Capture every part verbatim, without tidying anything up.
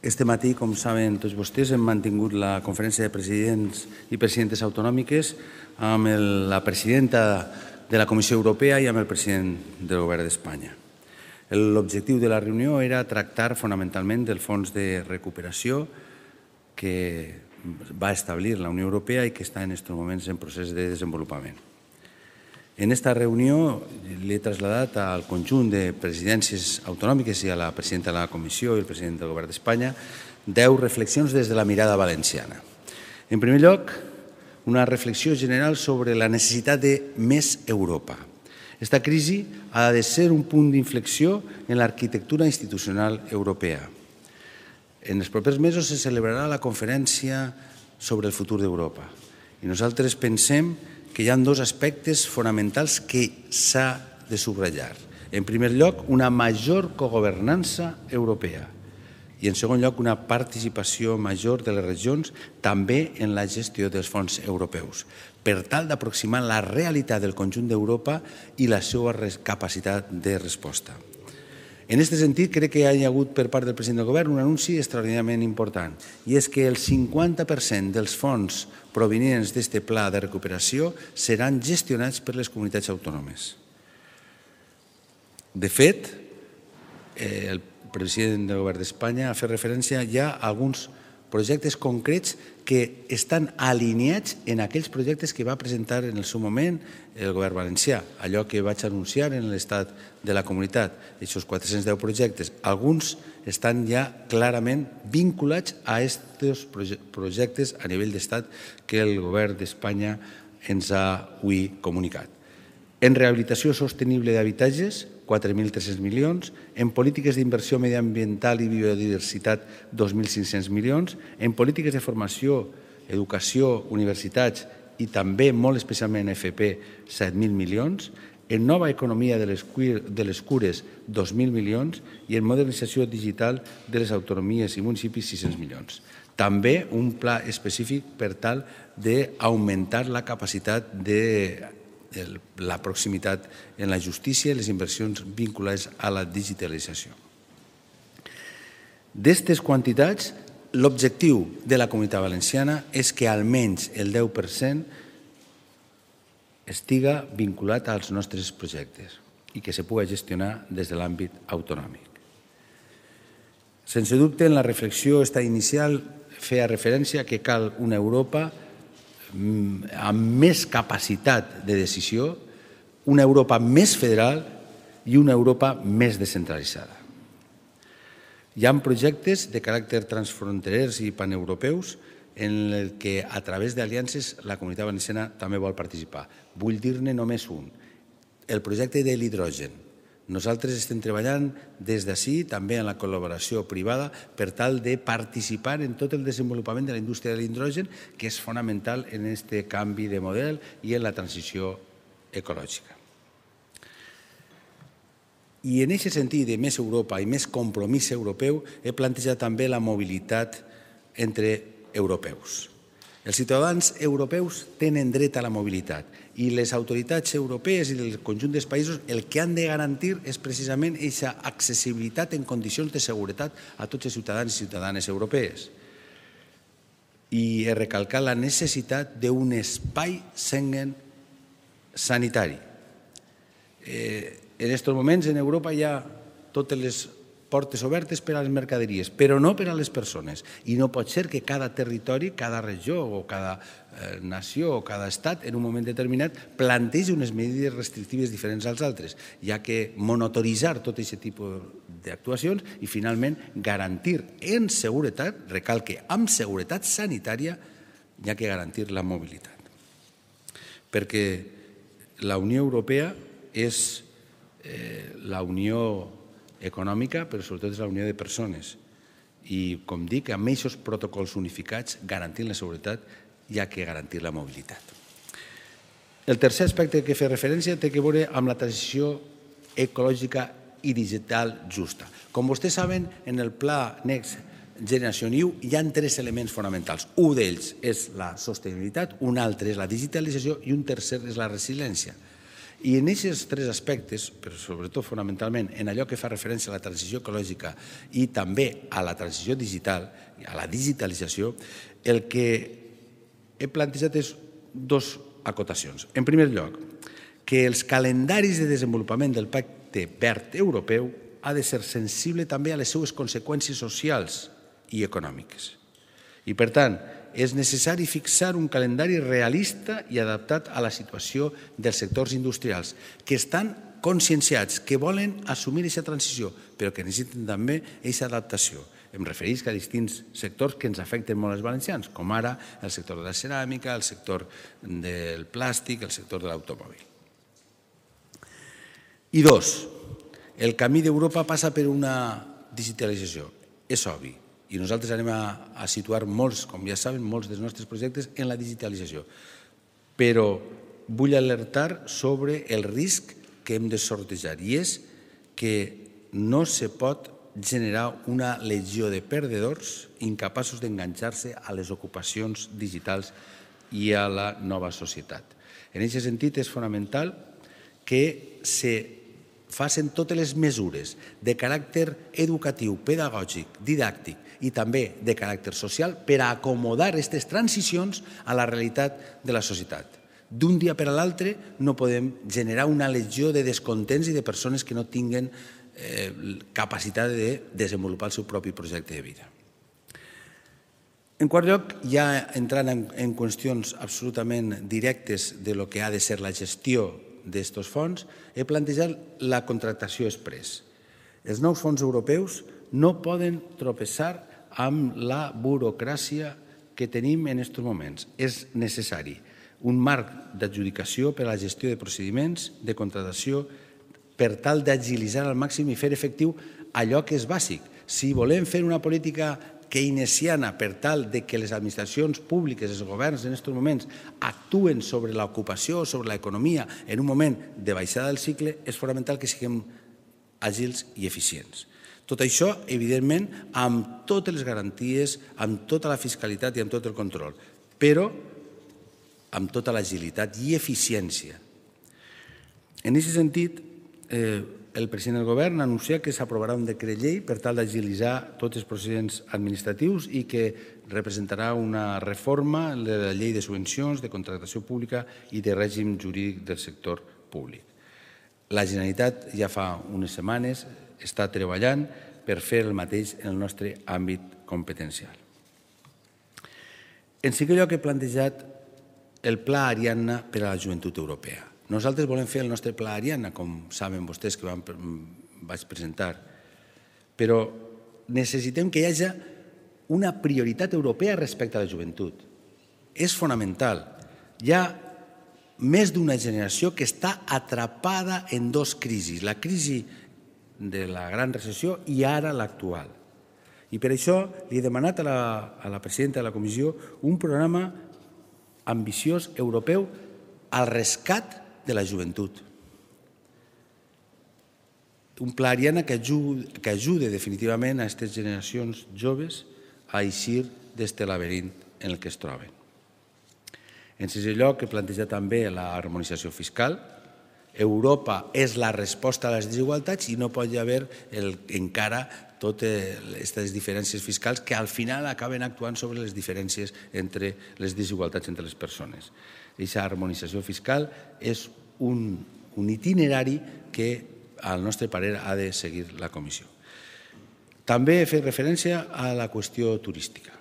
Este matí, com saben tots vostès, hem mantingut la conferència de presidents i presidentes autonòmiques amb la presidenta de la Comissió Europea i amb el president del Govern d'Espanya. L'objectiu de la reunió era tractar fonamentalment del fons de recuperació que va establir la Unió Europea i que està en aquests moments en procés de desenvolupament. En aquesta reunió l'he traslladat al conjunt de presidències autonòmiques i a la presidenta de la Comissió i el president del Govern d'Espanya deu reflexions des de la mirada valenciana. En primer lloc, una reflexió general sobre la necessitat de més Europa. Aquesta crisi ha de ser un punt d'inflexió en l'arquitectura institucional europea. En els propers mesos se celebrarà la conferència sobre el futur d'Europa i nosaltres pensem que hi ha dos aspectes fonamentals que s'ha de subratllar. En primer lloc, una major cogovernança europea i, en segon lloc, una participació major de les regions també en la gestió dels fons europeus, per tal d'aproximar la realitat del conjunt d'Europa i la seva capacitat de resposta. En aquest sentit, crec que hi ha hagut per part del president del Govern un anunci extraordinàriament important, i és que el cinquanta per cent dels fons provenients d'aquest pla de recuperació seran gestionats per les comunitats autònomes. De fet, el president del Govern d'Espanya ha fet referència ja a alguns projectes concrets que estan alineats en aquells projectes que va presentar en el seu moment el Govern valencià, allò que vaig anunciar en l'estat de la comunitat, aquests quatre-cents deu projectes. Alguns estan ja clarament vinculats a aquests projectes a nivell d'estat que el Govern d'Espanya ens ha avui comunicat. En rehabilitació sostenible d'habitatges, quatre mil tres-cents milions, en polítiques d'inversió mediambiental i biodiversitat, dos mil cinc-cents milions, en polítiques de formació, educació, universitats i també molt especialment F P, set mil milions, en nova economia de les cures, dos mil milions i en modernització digital de les autonomies i municipis, sis-cents milions. També un pla específic per tal d'augmentar la capacitat de la proximitat en la justícia i les inversions vinculades a la digitalització. D'aquestes quantitats, l'objectiu de la Comunitat Valenciana és que almenys el deu per cent estiga vinculat als nostres projectes i que se pugui gestionar des de l'àmbit autonòmic. Sense dubte, en la reflexió esta inicial feia referència que cal una Europa amb més capacitat de decisió, una Europa més federal i una Europa més descentralitzada. Hi ha projectes de caràcter transfronterers i paneuropeus en el que a través d'aliances la Comunitat Valenciana també vol participar. Vull dir-ne només un, el projecte de l'hidrogen. Nosaltres estem treballant des d'ací, també en la col·laboració privada, per tal de participar en tot el desenvolupament de la indústria de l'hidrogen, que és fonamental en aquest canvi de model i en la transició ecològica. I en aquest sentit de més Europa i més compromís europeu, he plantejat també la mobilitat entre europeus. Els ciutadans europeus tenen dret a la mobilitat i les autoritats europees i el conjunt dels països el que han de garantir és precisament aquesta accessibilitat en condicions de seguretat a tots els ciutadans i ciutadanes europees. I he recalcat la necessitat d'un espai Schengen sanitari. En aquests moments en Europa hi ha totes les portes obertes per a les mercaderies, però no per a les persones. I no pot ser que cada territori, cada regió o cada nació o cada estat en un moment determinat plantegi unes mesures restrictives diferents als altres, ja que monotoritzar tot aquest tipus d'actuacions i finalment garantir en seguretat, recalque, amb seguretat sanitària, hi ha que garantir la mobilitat. Perquè la Unió Europea és la unió econòmica, però sobretot és la unió de persones. I, com dic, amb aquests protocols unificats, garantint la seguretat, hi ha que garantir la mobilitat. El tercer aspecte que he fet referència té a veure amb la transició ecològica i digital justa. Com vostès saben, en el pla Next Generation E U hi ha tres elements fonamentals. Un d'ells és la sostenibilitat, un altre és la digitalització i un tercer és la resiliència. I en aquests tres aspectes, però sobretot fonamentalment en allò que fa referència a la transició ecològica i també a la transició digital, a la digitalització, el que he plantejat és dues acotacions. En primer lloc, que els calendaris de desenvolupament del Pacte Verd Europeu ha de ser sensible també a les seues conseqüències socials i econòmiques. I, per tant, és necessari fixar un calendari realista i adaptat a la situació dels sectors industrials, que estan conscienciats, que volen assumir aquesta transició, però que necessiten també aquesta adaptació. Em refereix a distints sectors que ens afecten molt als valencians, com ara el sector de la ceràmica, el sector del plàstic, el sector de l'automòbil. I dos, el camí d'Europa passa per una digitalització, és obvi. I nosaltres anem a situar molts, com ja saben, molts dels nostres projectes en la digitalització. Però vull alertar sobre el risc que hem de sortejar, i és que no se pot generar una legió de perdedors incapaços d'enganxar-se a les ocupacions digitals i a la nova societat. En aquest sentit, és fonamental que se facin totes les mesures de caràcter educatiu, pedagògic, didàctic i també de caràcter social per a acomodar aquestes transicions a la realitat de la societat. D'un dia per a l'altre no podem generar una legió de descontents i de persones que no tinguen capacitat de desenvolupar el seu propi projecte de vida. En quart lloc, ja entrant en qüestions absolutament directes de lo que ha de ser la gestió d'aquests fons, he plantejat la contractació exprés. Els nous fons europeus no poden tropeçar amb la burocràcia que tenim en aquests moments. És necessari un marc d'adjudicació per a la gestió de procediments de contractació per tal d'agilitzar al màxim i fer efectiu allò que és bàsic. Si volem fer una política keynesiana per tal que les administracions públiques, els governs en aquests moments actuen sobre l'ocupació, sobre l'economia en un moment de baixada del cicle, és fonamental que siguem àgils i eficients. Tot això, evidentment, amb totes les garanties, amb tota la fiscalitat i amb tot el control, però amb tota l'agilitat i eficiència. En aquest sentit, el president del govern anuncia que s'aprovarà un decret llei per tal d'agilitzar tots els procediments administratius i que representarà una reforma de la llei de subvencions, de contractació pública i de règim jurídic del sector públic. La Generalitat ja fa unes setmanes està treballant per fer el mateix en el nostre àmbit competencial. En cinquè lloc, he plantejat el Pla Ariadna per a la joventut europea. Nosaltres volem fer el nostre Pla Ariadna, com saben vostès que vaig presentar, però necessitem que hi hagi una prioritat europea respecte a la joventut. És fonamental. Hi ha més d'una generació que està atrapada en dues crisis, la crisi de la gran recessió i ara l'actual. I per això li he demanat a la, a la presidenta de la Comissió un programa ambiciós europeu al rescat de la joventut. Un pla Ariadna que ajude, que ajude definitivament a aquestes generacions joves a eixir d'aquest laberint en el que es troben. En sisè lloc, he plantejat també l'harmonització fiscal. Europa és la resposta a les desigualtats i no pot haver el, encara totes aquestes diferències fiscals que al final acaben actuant sobre les diferències entre les desigualtats entre les persones. Aquesta harmonització fiscal és un, un itinerari que, al nostre parer, ha de seguir la Comissió. També he fet referència a la qüestió turística.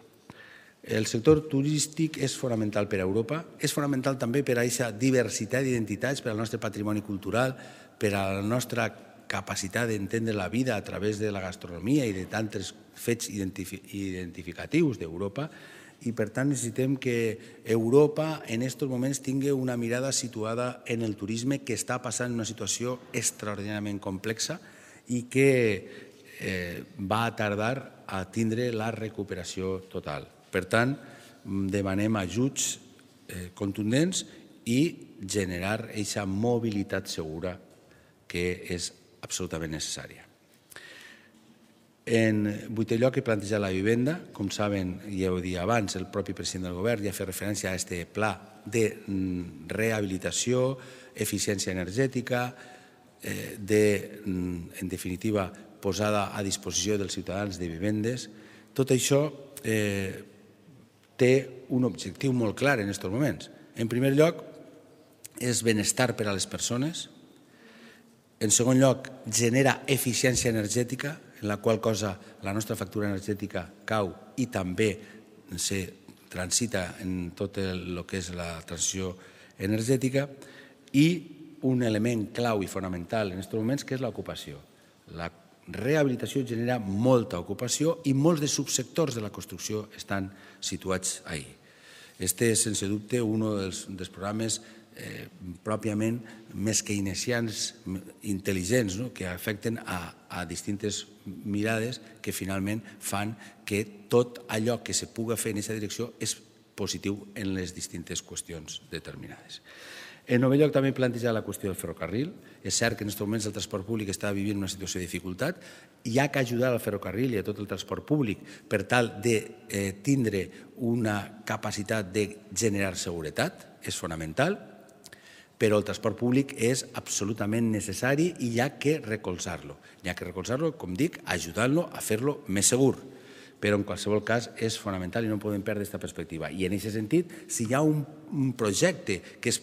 El sector turístic és fonamental per a Europa, és fonamental també per a aquesta diversitat d'identitats, per al nostre patrimoni cultural, per a la nostra capacitat d'entendre la vida a través de la gastronomia i de tants fets identificatius d'Europa, i per tant necessitem que Europa en aquests moments tingui una mirada situada en el turisme, que està passant una situació extraordinàriament complexa i que eh, va tardar a tindre la recuperació total. Per tant, demanem ajuts eh, contundents i generar aquesta mobilitat segura que és absolutament necessària. En vuitè lloc, he plantejat la vivenda. Com saben, ja ho dia abans, el propi president del govern ja ha fet referència a aquest pla de rehabilitació, d'eficiència energètica, de, en definitiva, posada a disposició dels ciutadans de vivendes. Tot això té un objectiu molt clar en aquests moments. En primer lloc, és benestar per a les persones. En segon lloc, genera eficiència energètica, en la qual cosa la nostra factura energètica cau i també se transita en tot el que és la transició energètica. I un element clau i fonamental en aquests moments, que és l'ocupació. La rehabilitació genera molta ocupació i molts dels subsectors de la construcció estan situats ahí. Este és, sense dubte, un dels, dels programes eh, pròpiament més keynesians, intel·ligents, no? Que afecten a, a distintes mirades que finalment fan que tot allò que se puga fer en aquesta direcció és positiu en les distintes qüestions determinades. En nou lloc també plantejar la qüestió del ferrocarril. És cert que en aquests moments el transport públic està vivint una situació de dificultat. Hi ha que ajudar al ferrocarril i a tot el transport públic per tal de tindre una capacitat de generar seguretat. És fonamental, però el transport públic és absolutament necessari i hi ha que recolzar-lo. Hi ha que recolzar-lo, com dic, ajudant-lo a fer-lo més segur. Però en qualsevol cas és fonamental i no podem perdre aquesta perspectiva. I en aquest sentit, si hi ha un projecte que és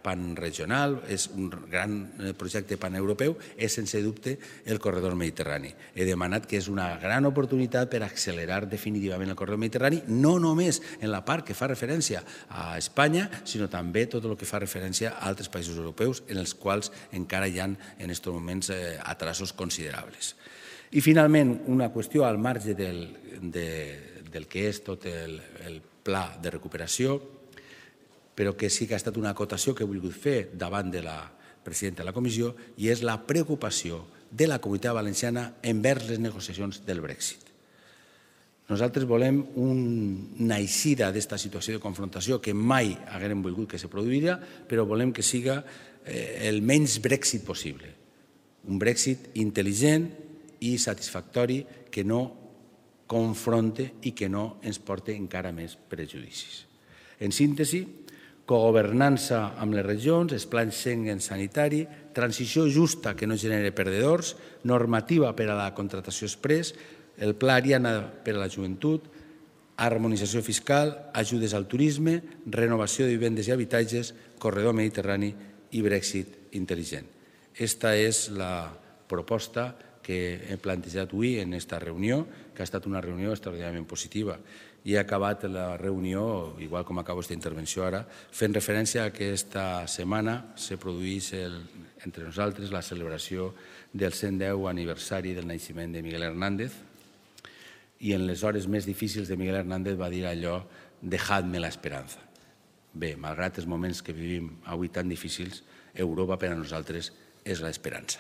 panregional, és un gran projecte paneuropeu, és sense dubte el corredor mediterrani. He demanat que és una gran oportunitat per accelerar definitivament el corredor mediterrani, no només en la part que fa referència a Espanya, sinó també tot el que fa referència a altres països europeus en els quals encara hi ha en aquests moments atrasos considerables. I finalment, una qüestió al marge del, de, del que és tot el, el pla de recuperació, però que sí que ha estat una acotació que he volgut fer davant de la presidenta de la comissió, i és la preocupació de la Comunitat Valenciana envers les negociacions del Brexit. Nosaltres volem una eixida d'aquesta situació de confrontació que mai haguem volgut que se produïra, però volem que siga el menys Brexit possible. Un Brexit intel·ligent i satisfactori que no confronte i que no ens porti encara més prejudicis. En síntesi, cogovernança amb les regions, els plans Schengen sanitari, transició justa que no genere perdedors, normativa per a la contractació express, el pla Ariana per a la joventut, harmonització fiscal, ajudes al turisme, renovació de vivendes i habitatges, corredor mediterrani i Brexit intel·ligent. Aquesta és la proposta que he plantejat avui en aquesta reunió, que ha estat una reunió extraordinàriament positiva. I he acabat la reunió, igual com acabo aquesta intervenció ara, fent referència a que aquesta setmana se produís entre nosaltres la celebració del cent deu aniversari del naixement de Miguel Hernández, i en les hores més difícils de Miguel Hernández va dir allò «dejadme la esperanza». Bé, malgrat els moments que vivim avui tan difícils, Europa per a nosaltres és l'esperança.